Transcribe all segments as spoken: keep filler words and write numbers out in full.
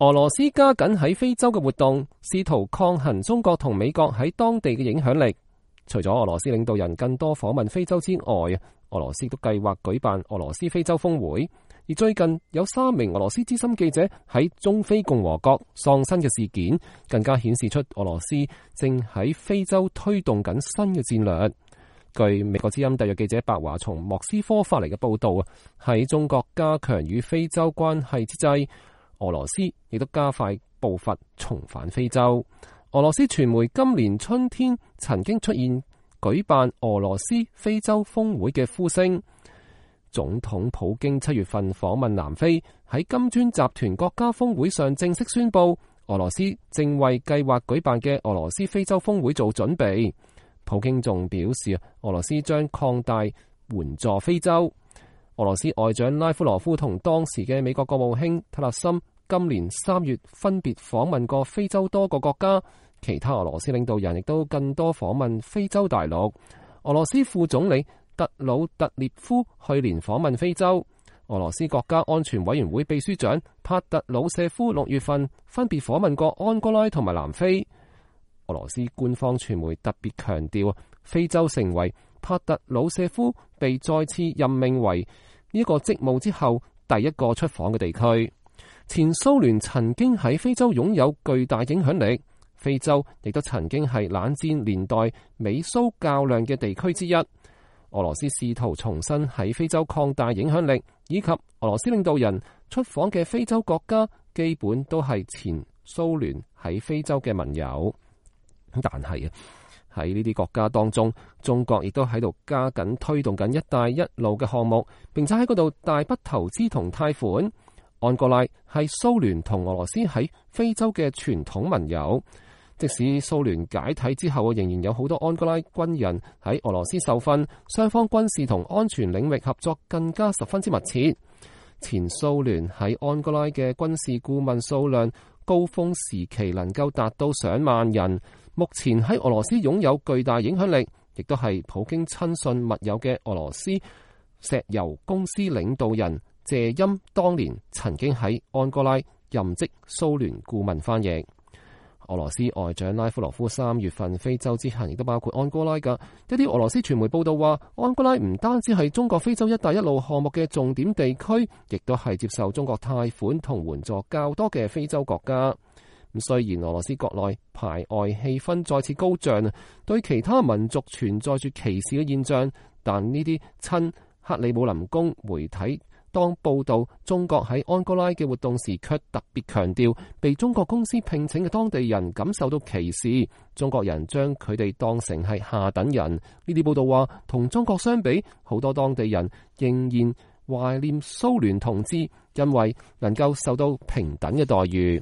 俄羅斯加緊喺非洲嘅活動，試圖抗衡中國同美國喺當地嘅影響力。除咗俄羅斯領導人更多訪問非洲之外，俄羅斯都計劃舉辦俄羅斯非洲峰會。而最近有三名俄羅斯資深記者喺中非共和國喪生嘅事件，更加顯示出俄羅斯正喺非洲推動緊新嘅戰略。據美國之音特約記者白華從莫斯科發嚟嘅報道，喺中國加強與非洲關係之際，俄羅斯亦都加快步伐重返非洲。俄羅斯傳媒今年春天曾經出現舉辦俄羅斯非洲峰會嘅呼聲。總統普京七月份訪問南非，喺金磚集團國家峰會上正式宣布，俄羅斯正為計劃舉辦嘅俄羅斯非洲峰會做準備。普京仲表示，俄羅斯將擴大援助非洲。俄羅斯外長拉夫羅夫同當時嘅美國國務卿特勒森今年三月分別訪問過非洲多個國家，其他俄羅斯領導人亦都更多訪問非洲大陸。俄羅斯副總理特魯特列夫去年訪問非洲。俄羅斯國家安全委員會秘書長帕特魯舍夫六月份分別訪問過安哥拉同埋南非。俄羅斯官方傳媒特別強調，非洲成為帕特魯舍夫被再次任命為呢個職務之後第一個出訪嘅地區。前蘇聯曾經喺非洲擁有巨大影響力，非洲亦都曾經係冷戰年代美蘇較量嘅地區之一。俄羅斯試圖重新喺非洲擴大影響力，以及俄羅斯領導人出訪嘅非洲國家基本都係前蘇聯喺非洲嘅盟友。但係啊，喺呢啲國家當中，中國亦都喺度加緊推動緊一帶一路嘅項目，並且喺嗰度大筆投資同貸款。安哥拉係蘇聯同俄羅斯喺非洲嘅傳統盟友，即使蘇聯解體之後，仍然有好多安哥拉軍人喺俄羅斯受訓，雙方軍事同安全領域合作更加十分之密切。前蘇聯喺安哥拉嘅軍事顧問數量高峰時期能夠達到上萬人。目前喺俄羅斯擁有巨大影響力，亦都係普京親信密友嘅俄羅斯石油公司領導人謝欽，當年曾經喺安哥拉任職蘇聯顧問翻譯。俄羅斯外長拉夫羅夫三月份非洲之行亦都包括安哥拉㗎。一啲俄羅斯傳媒報道話，安哥拉唔單止係中國非洲一帶一路項目嘅重點地區，亦都係接受中國貸款同援助較多嘅非洲國家。咁雖然俄羅斯國內排外氣氛再次高漲，對其他民族存在住歧視嘅現象，但呢啲親克里姆林宮媒體當報道中國喺安哥拉嘅活動時，卻特別強調被中國公司聘請嘅當地人感受到歧視，中國人將佢哋當成係下等人。呢啲報道話，同中國相比，好多當地人仍然懷念蘇聯統治，因為能夠受到平等嘅待遇。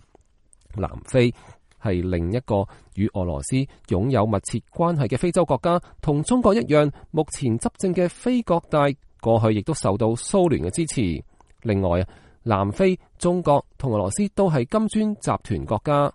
南非係另一個與俄羅斯擁有密切關係嘅非洲國家，同中國一樣，目前執政嘅非國大過去亦都受到蘇聯嘅支持。另外，南非、中國同俄羅斯都係金磚集團國家。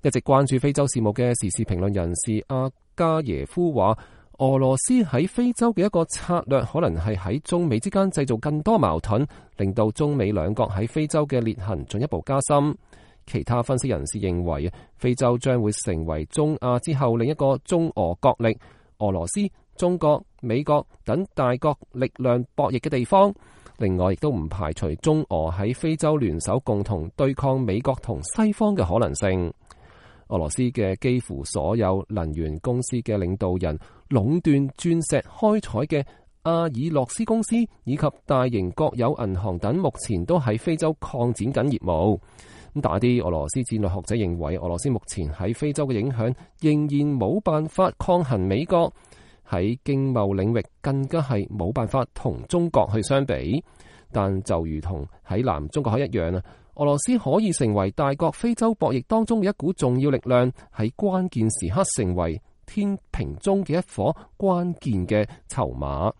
一直關注非洲事務嘅時事評論人士阿加耶夫話，俄羅斯喺非洲嘅一個策略可能係喺中美之間製造更多矛盾，令到中美兩國喺非洲嘅裂痕進一步加深。其他分析人士認為，非洲將會成為中亞之後另一個中俄角力，俄羅斯、中國、美國等大國力量博弈嘅地方。另外，亦都唔排除中俄喺非洲聯手共同對抗美國同西方嘅可能性。俄羅斯嘅幾乎所有能源公司嘅領導人壟斷鑽石開採嘅阿爾洛斯公司以及大型國有銀行等，目前都喺非洲擴展緊業務。咁但係啲俄羅斯戰略學者認為，俄羅斯目前喺非洲嘅影響仍然冇辦法抗衡美國，喺經貿領域更加係冇辦法同中國去相比。但就如同喺南中國海一樣啊，俄羅斯可以成為大國非洲博弈當中嘅一股重要力量，喺關鍵時刻成為天平中嘅一顆關鍵嘅籌碼。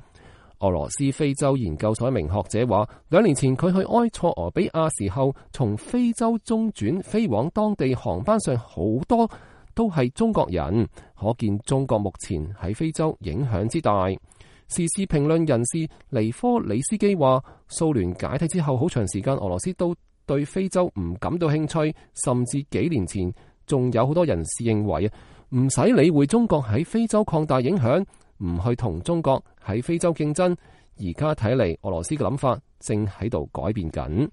俄羅斯非洲研究所一名學者話，兩年前佢去埃塞俄比亞時候，從非洲中轉飛往當地航班上好多都係中國人，可見中國目前喺非洲影響之大。時事評論人士尼科里斯基話，蘇聯解體之後好長時間，俄羅斯都對非洲唔感到興趣，甚至幾年前仲有好多人士認為唔使理會中國喺非洲擴大影響，唔去同中國喺非洲競爭。而家睇嚟，俄羅斯嘅諗法正喺度改變緊。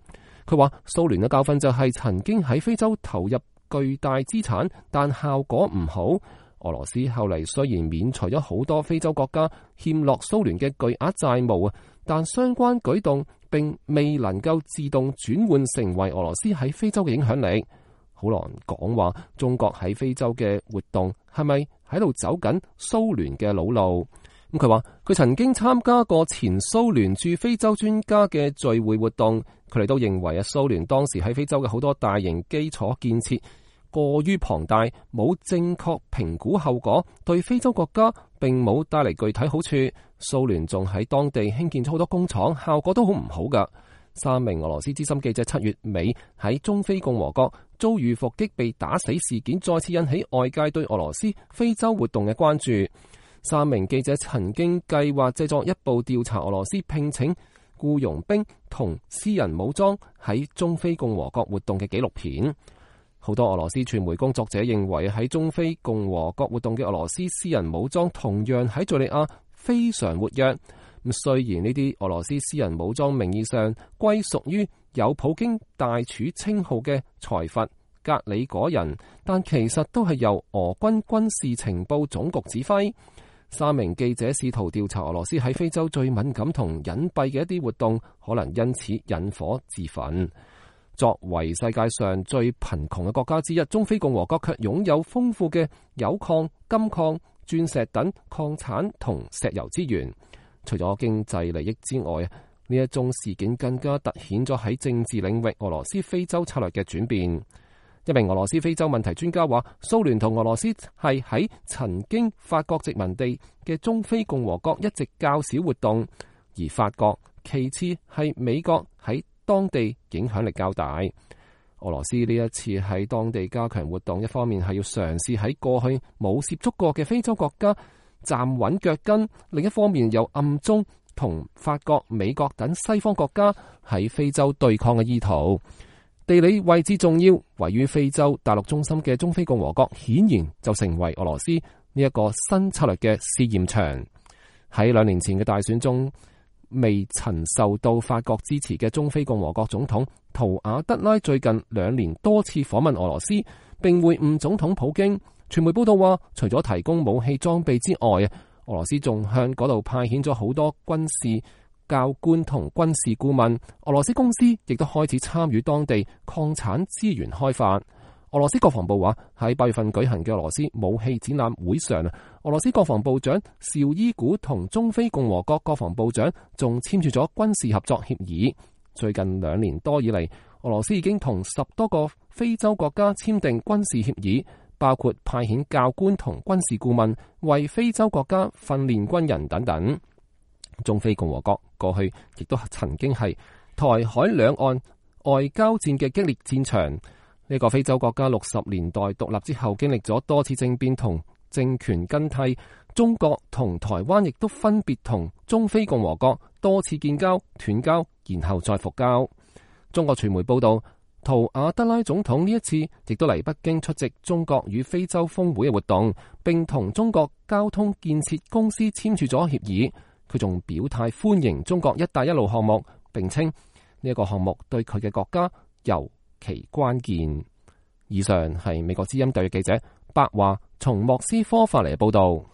佢話蘇聯嘅教訓就係曾經喺非洲投入巨大資產，但效果唔好。俄羅斯後嚟雖然免除咗好多非洲國家欠落蘇聯嘅巨額債務啊，但相關舉動並未能夠自動轉換成為俄羅斯喺非洲嘅影響力。好難講話中國喺非洲嘅活動係咪喺度走緊蘇聯嘅老路。咁佢話佢曾經參加過前蘇聯駐非洲專家嘅聚會活動，佢哋都認為啊，蘇聯當時喺非洲嘅好多大型基礎建設過於龐大，冇正確評估後果，對非洲國家並冇帶嚟具體好處。蘇聯仲喺當地興建咗好多工廠，效果都好唔好噶。三名俄羅斯資深記者七月尾喺中非共和國遭遇伏擊被打死事件，再次引起外界對俄羅斯非洲活動嘅關注。三名記者曾經計劃製作一部調查俄羅斯聘請僱傭兵同私人武裝喺中非共和國活動嘅紀錄片。好多俄羅斯傳媒工作者認為喺中非共和國活動嘅俄羅斯私人武裝同樣喺敘利亞非常活躍。咁雖然呢啲俄羅斯私人武裝名義上歸屬於有普京大廚稱號嘅財閥格里果人，但其實都係由俄軍軍事情報總局指揮。三名記者試圖調查俄羅斯喺非洲最敏感同隱蔽嘅一啲活動，可能因此引火自焚。作為世界上最貧窮嘅國家之一，中非共和國卻擁有豐富嘅鈾礦、金礦、鑽石等礦產同石油資源。除咗經濟利益之外，呢一宗事件更加凸顯咗喺政治領域俄羅斯非洲策略嘅轉變。一名俄羅斯非洲問題專家話，蘇聯同俄羅斯係喺曾經法國殖民地嘅中非共和國一直較少活動，而法國其次係美國喺當地影響力較大。俄羅斯呢一次喺當地加強活動，一方面係要嘗試喺過去冇涉足過嘅非洲國家站穩腳跟，另一方面又暗中同法國、美國等西方國家喺非洲對抗嘅意圖。地理位置重要，位於非洲大陸中心嘅中非共和國顯然就成為俄羅斯呢一個新策略嘅試驗場。喺兩年前嘅大選中，未曾受到法國支持嘅中非共和國總統圖瓦德拉最近兩年多次訪問俄羅斯，並會晤總統普京。傳媒報道話，除咗提供武器裝備之外，俄羅斯仲向嗰度派遣咗好多軍事教官同軍事顧問。俄羅斯公司亦都開始參與當地礦產資源開發。俄羅斯國防部話，喺八月份舉行嘅俄羅斯武器展覽會上，俄羅斯國防部長紹伊古同中非共和國國防部長仲簽署咗軍事合作協議。最近兩年多以嚟，俄羅斯已經同十多個非洲國家簽訂軍事協議，包括派遣教官同軍事顧問為非洲國家訓練軍人等等。中非共和國過去亦都曾經係台海兩岸外交戰嘅激烈戰場。呢、這個非洲國家六十年代獨立之後，經歷咗多次政變同政權更替。中國同台灣亦都分別同中非共和國多次建交、斷交，然後再復交。中國傳媒報道，圖瓦德拉總統呢一次亦都嚟北京出席中國與非洲峰會嘅活動，並同中國交通建設公司簽署咗協議。佢仲表態歡迎中國一帶一路項目，並稱呢一個項目對佢嘅國家尤其關鍵。以上係美國之音特約記者白華從莫斯科發嚟嘅報道。